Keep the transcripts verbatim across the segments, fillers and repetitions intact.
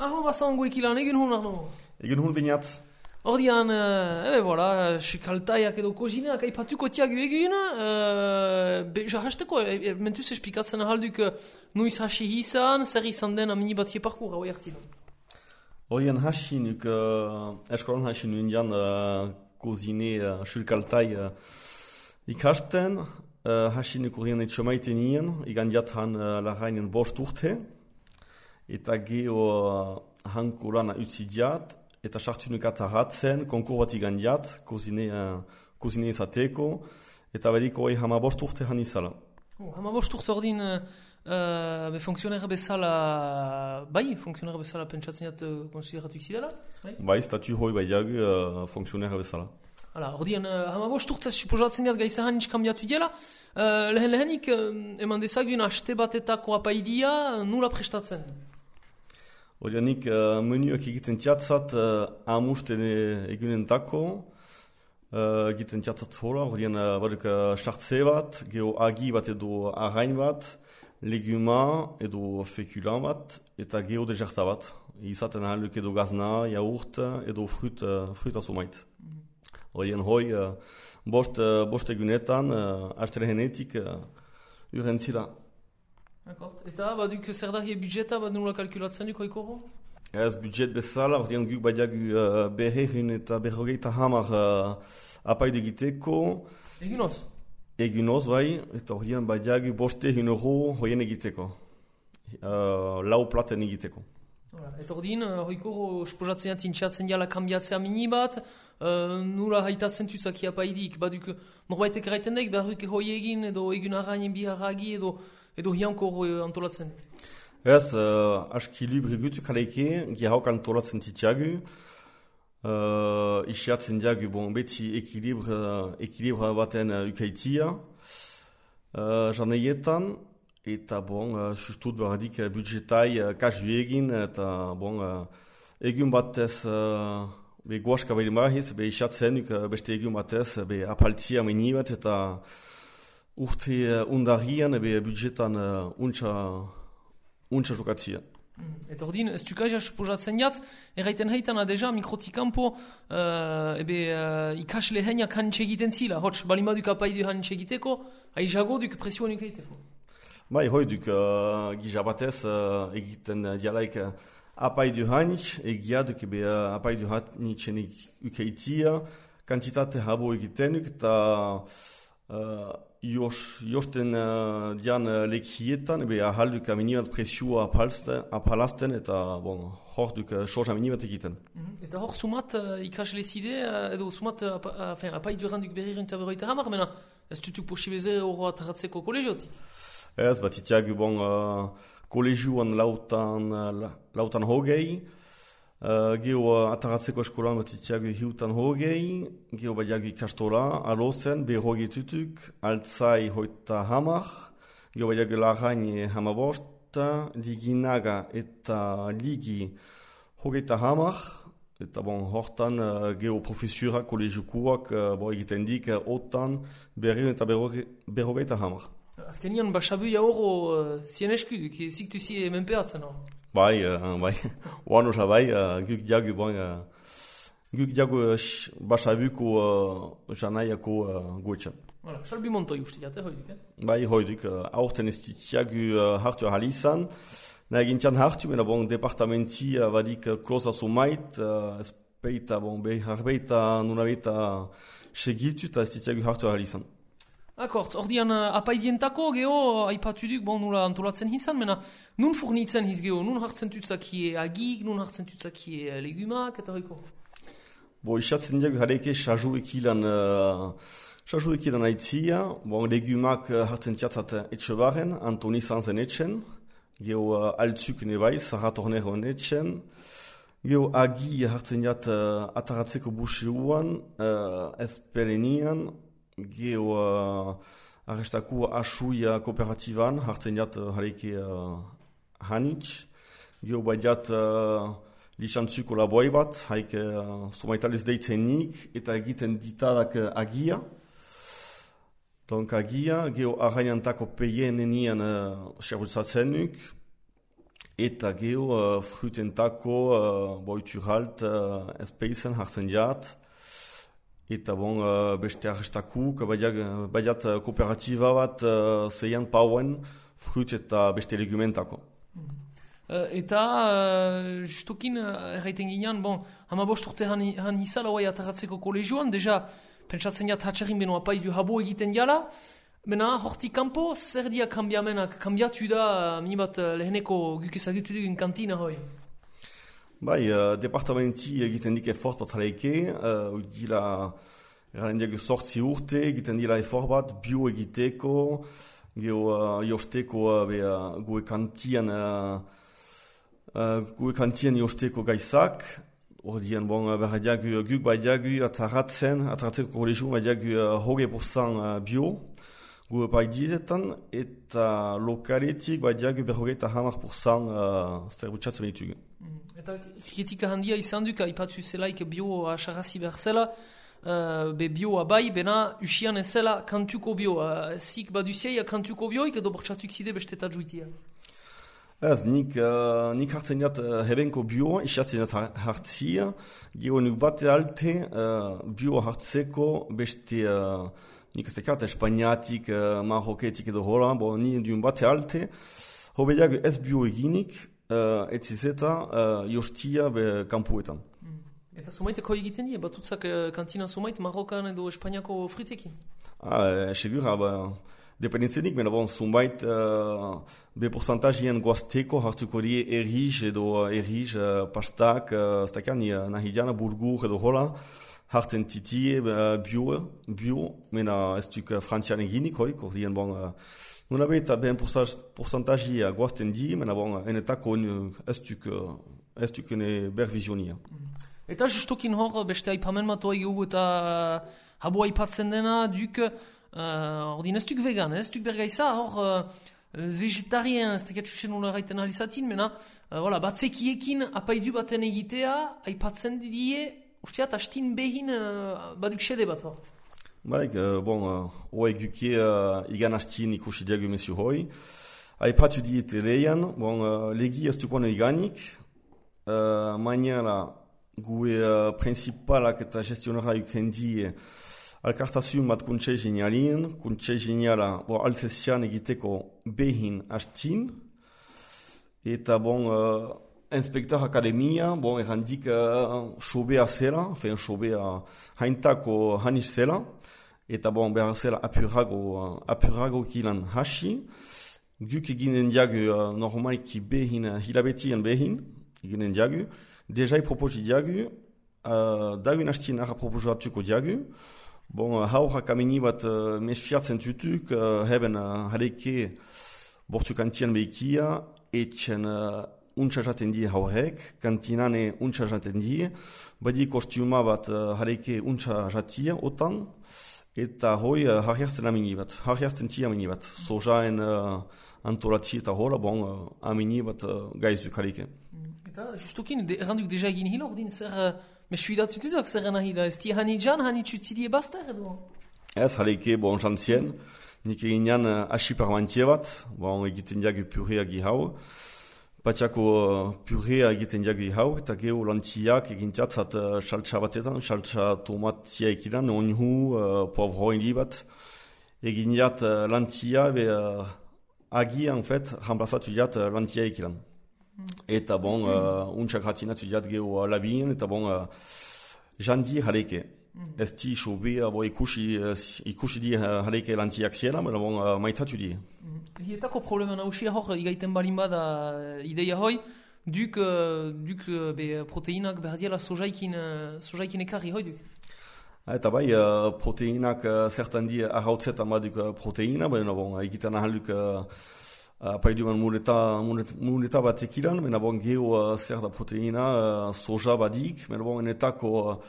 Arno bazango ikilan, egin hon, Arno? Egin hon binat. Ordian, uh, ebe, voilà, sukaltaiak edo kozineak aipatuko tiak egin, uh, be, ja hasteko, e, mentuz esplikatzen ahalduk uh, nuiz hasi izan, zer izan den amini bat parkour, hau jartzen. Ordian hasi nuk, uh, eskolan hasi nuen jan uh, kozine uh, sukaltai uh, ikasten, uh, hasi nuk ordian etxo maiten nien, igan jatan uh, larainen bost urte, eta geho uh, hanko lana utzi diat, eta sartu nuk atarratzen, konkur bat igan diat, kozine, uh, kozine izateko, eta badiko hori hama bost urte han izala. Oh, hama bost urte ordin, uh, uh, funksionera bezala, bai, funksionera bezala pentsatzen jat uh, konsideratu ikzidala? Bai, bai statu hoi bai jagu uh, funksionera bezala. Hala, ordian, uh, hama bost urte suposatzen jat gaizahan nitz kambiatu diela, uh, lehen lehenik, uh, eman dezagun aste batetako apaidia, nula prestatzen? Ordianik, uh, menuak egiten tiatzat uh, amusten egunen tako, uh, egiten tiatzat hola, ordian uh, baduk uh, sartze bat, geho agi bat edo arrain bat, leguma edo fekulan bat, eta geho dejarta bat. Izaten ahaluk edo gazna, yaourt edo frut, uh, frut azumait. Mm. Ordian hoi, uh, bost, uh, bost egunetan, uh, astere genetik, uh, uren zira. D'accord. Eta, baduk zer dahi budjeta, bad nula kalkulatzen duk oikoro? Ez budget bezala, ordean guk badiagu uh, berrehun eta berrogeita hamar uh, apaidu egiteko. Egunoz? Egunoz, bai, eta ordean badiagu bostehun euro hoien egiteko. Uh, lau platen egiteko. Eta ordin, hoikoro sposatzen tintxatzen jala kambiatzea mini bat, uh, nula haitatzen tutzaki apaidik, baduk norbaitek eraiten daik, beharruke hoi egin edo egun arrainen biharragi edo edo hianko antolatzen? Ez, uh, aski libre gutu kaleike, gehauk antolatzen titiagu. Uh, isiatzen diagu, bon, beti ekilibre, ekilibre baten uh, ukaitia. Uh, Janeietan, eta bon, uh, sustut baradik uh, budgetai uh, kasu egin, eta bon, uh, egun batez uh, be goaska behar marahiz, be isiatzen uh, beste egun batez, be apaltia meni bat, eta urte uh, undarian, ebe budgetan uh, untxa, untxa jokatzia. Mm. Eta ordin, ez dukaja suposatzen jat, erraiten haitana deja mikrotikampo uh, ebe uh, ikasle heniak hanitxe egiten zila, hots, balimaduk apaidu hanitxe egiteko, aizago duk presioan egiteko. Bai, hoi duk uh, gizabatez uh, egiten uh, dialaik uh, apaidu hanitx, egia duk ebe uh, apaidu hanitxen ukeitia, kantitate habo egiten duk, eta uh, Jos, josten uh, dian uh, lekietan, ebe ahalduk aminibat presioa apalazten, eta bon, hor duk uh, soja aminibat egiten. Mm-hmm. Eta hor sumat uh, ikasle zide, uh, edo sumat uh, uh, apai duranduk berriren eta berroita hamar, mena ez dutuk posibeze horro ataratzeko kolegioti? Ez, bat itiagu bon uh, kolegioan lautan, uh, lautan hogei, Uh, geho uh, ataratzeko eskolan bat itiagu hiutan hogei, geho badiagu ikastola, alozen, berrogei tutuk, altzai hoita hamar, geho badiagu larain hamabost, liginaga eta ligi hogeita hamar, eta bon, hortan uh, geho profesura kolegiokuak uh, bo egiten dik, uh, otan, berriun eta berrogeita hamar. Azkenian, basabuia horro uh, zien esku, ziktu zi menpeatzen hor? Bai, uh, bai, oan osa bai, uh, guk diagu, bon, uh, guk diagu uh, basabuko uh, janaiako uh, gotxan. Voilà, salbi montoi uste jate, hoiduk, eh? Bai, hoiduk, uh, aurten ez ditiagu uh, hartu ahalizan, nahi gintian hartu, mena bon, departamenti uh, badik uh, kloza sumait, uh, ez peita, bon, behar beita, nuna beita segitu, eta ez ditiagu hartu ahalizan. Akort, ordian uh, apaidientako geho, aipatu duk, bon, nula antolatzen hinzan, mena nun furnitzen hiz geho, nun hartzen tutzakie agik, nun hartzen tutzakie legumak, eta hoiko? Bo, isatzen diagu hareike saju ekilan, uh, saju ekilan aitzia, bon, legumak uh, hartzen tiatzat etxe baren, Antoni Sanzen etxen, geho uh, altzuk nebai, Zaratornero etxen, geho agi hartzen diat uh, ataratzeko buseuan, uh, ezperenian, geho uh, arrestaku asuia kooperativan, hartzen jat uh, hareike uh, hanitz, geho badiat uh, lixantzuko laboi bat, haike uh, somaitalez deitzenik, eta egiten ditarak uh, agia. Donc agia, geho arrainantako peien enian uh, xerrutzatzen nuk, eta geho uh, frutentako uh, boituralt uh, espeizen hartzen jat, eta bon, uh, beste arrestakuk, baiat uh, kooperatiba bat uh, zeian pauen frut eta beste legumentako. Uh, eta uh, justukin uh, erraiten ginean, bon, hama bost urte han, han hizala oai ataratzeko kolegioan, deja pentsatzen jat hatxerin beno apaidu habo egiten jala, mena hortik kanpo zer dia kambiamenak, kambiatu da uh, minibat uh, leheneko guk ezagutu dugun kantina hoi? Bai, uh, departamenti egiten dik efort bat jaleike, uh, dila eraren diago sortzi urte, egiten dila efort bat, bio egiteko, geho uh, josteko uh, be, uh, goe kantian, uh, uh, goe kantian josteko gaizak, ordian bon, uh, berra diago guk bai diago ataratzen, ataratzeko kolegio bai diago uh, hoge porcent uh, bio, goe bai dizetan, eta lokaletik bai diago berrogeita hamar porcent uh, zerbutsatzen behitugu. Mm. Eta kritika handia izan duk, aipatzu zelaik bio asarrazi behar zela, uh, be bioa bai, bena usian ez zela kantuko bio. Uh, zik baduziai kantuko bioik edo bortxatuk zide beste eta juitia? Ez, nik, uh, nik hartzen jat uh, hebenko bioa, isatzen jat hartzia, geho nuk bate alte uh, bio hartzeko beste, uh, nik ezekat espainiatik, uh, maroketik edo hola, bo ni dun bate alte, hobe jago ez bio eginik, Uh, etzizeta uh, jostia be kampuetan. Mm. Eta sumaiteko egiten die, batutzak uh, kantina sumait Marokan edo Espainiako fritekin? Ah, segura, ba, dependentzenik, mena bon, sumait uh, be porcentagien goazteko hartuko die eriz edo uh, eriz, uh, pastak, uh, stakan, uh, nahidiana, burgur edo hola, harten titie, uh, bio, bio, mena ez duk uh, frantzian eginik, hoik, ordien bon, uh, Nuna beta ben porcentagia goazten di, mena bon, enetako ez duk ene bervizionia. Eta justukin hor, beste aipamen matoa egu eta habo aipatzen dena, duk, uh, ordin ez duk vegan, ez duk bergaiza, hor uh, vegetarien, ez tekatxusen nula raiten alizatin, mena, uh, voilà, batzekiekin apaidu baten egitea, aipatzen die, usteat, hastin behin uh, baduk sede bat hor. Baik, uh, bon, hoa uh, eguke uh, igan hastin ikusi diago mesio hoi. Aipatu diete leian, bon, uh, legi ez dukoan iganik, uh, mainala gue uh, principalak eta gestionara yuken die alkartasun bat kuntxe genialien, kuntxe geniala bo, altzesian egiteko behin hastin, eta bon, uh, inspektor akademia, bon, errandik uh, sobea zela, fen sobea haintako hanis zela, eta bon, behar zela apurago, uh, apurago kilan hasi, guk eginen diagu uh, normalki behin, uh, hilabetien behin, eginen diagu, dejai proposi diagu, uh, dagun hastin ara proposatuko diagu, bon, uh, haurak ameni bat uh, mesfiatzen tutuk, uh, heben uh, haleke bortu kantian behikia, etxen uh, untsa jaten die haurek, kantinane untsa jaten die, badi kostiuma bat uh, haleke untsa jatia, otan, eta hoi uh, harriazten amini bat, harriazten tia amini bat, sojaen uh, antolatzi eta hola, bon, uh, amini bat uh, gaizuk haleke. Eta justukin, de, erranduk deja egin hilo, ordin zer uh, mesfidat tututak zer nahi da, ez ti hani jan, hani txutzidie bastar edo? Ez, haleke, bon, jantzien, nik eginean uh, asi parmantie bat, bon, egiten diagu purea gihau, Patxako uh, purea egiten diagu hau, eta geho lantziak egintiatzat uh, saltsa batetan, saltsa tomatia ekidan, onhu, uh, poivroin bat, egin jat uh, lantzia, be uh, agi, en fait, remplazatu jat uh, lantzia ekidan. Mm. Eta bon, uh, untsak ratinatu jat geho uh, labien, eta bon, uh, jandi haleke. Mm. Ez di sobe, uh, bo ikusi, uh, ikusi di uh, haleke lantziak ziela, mena bon, uh, maitatu di. Mm. Hietako problema nausia hor, igaiten balin bada ideia hoi, duk, uh, duk uh, be, proteinak berdiela sojaikin, uh, sojaikin ekarri hoi duk? Eta bai, uh, proteinak uh, zertan di arrautzetan baduk uh, proteina, baina bon, egiten ahalduk uh, apaiduan muleta, muleta, muleta bat ekilan, baina bon, geho uh, zer da proteina, uh, soja badik, baina bon, enetako uh,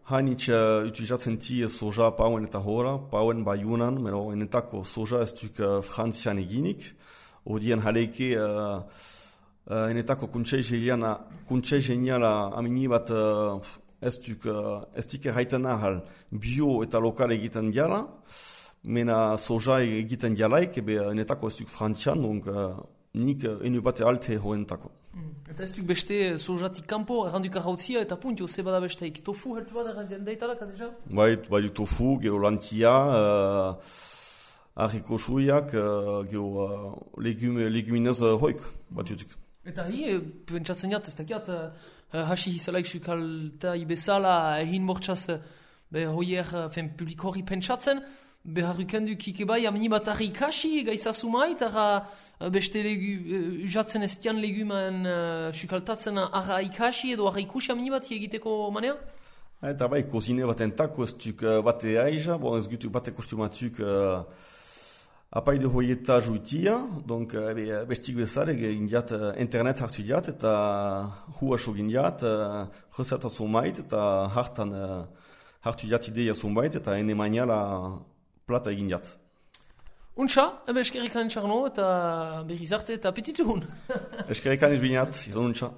hainitz uh, utilizatzen ti soja pauen eta hora, pauen baiunan, meno enetako soja ez duk uh, frantzian eginik, odien haleke uh, uh, enetako kuntxe geniala amini bat uh, ez duk uh, ez dik erraiten ahal bio eta lokal egiten diala, mena soja egiten dialaik, ebe enetako ez duk frantzian, donc uh, nik uh, enu bate alte hoentako. Mm. Eta ez duk beste sojatik kanpo, errandu karautzia eta puntio, ze bada besteik. Tofu heltu bat errandu daitalak, deja? Bai, bai du tofu, geho lantia, uh, harriko suiak, uh, geho uh, legume, leguminez uh, hoik, bat jutik. Eta hi, pentsatzen jat, ez dakiat, uh, hasi hizalaik sukalta ibezala, egin mortxaz, be hoier, fen publik hori pentsatzen, behar ukendu kike bai, amni bat harri ikasi, gaizazu mait, ara beste legu, usatzen ez dian legumen uh, sukaltatzen arra ikasi edo arra ikusi amni bat egiteko manea? Eta bai, kozine bat entako ez duk uh, bate aiza, bon ez gutuk bate kostumatuk uh, apaide hoieta juitia, donc uh, bestik bezare indiat uh, internet hartu diat eta hua sogin diat, uh, reseta zumait eta hartan uh, hartu diat ideia zumait eta ene maniala plata egin diat. Untxa, ebe eskerrikan txarno eta berriz arte eta apetitu hun. Eskerrikan izbinat, izan untxa.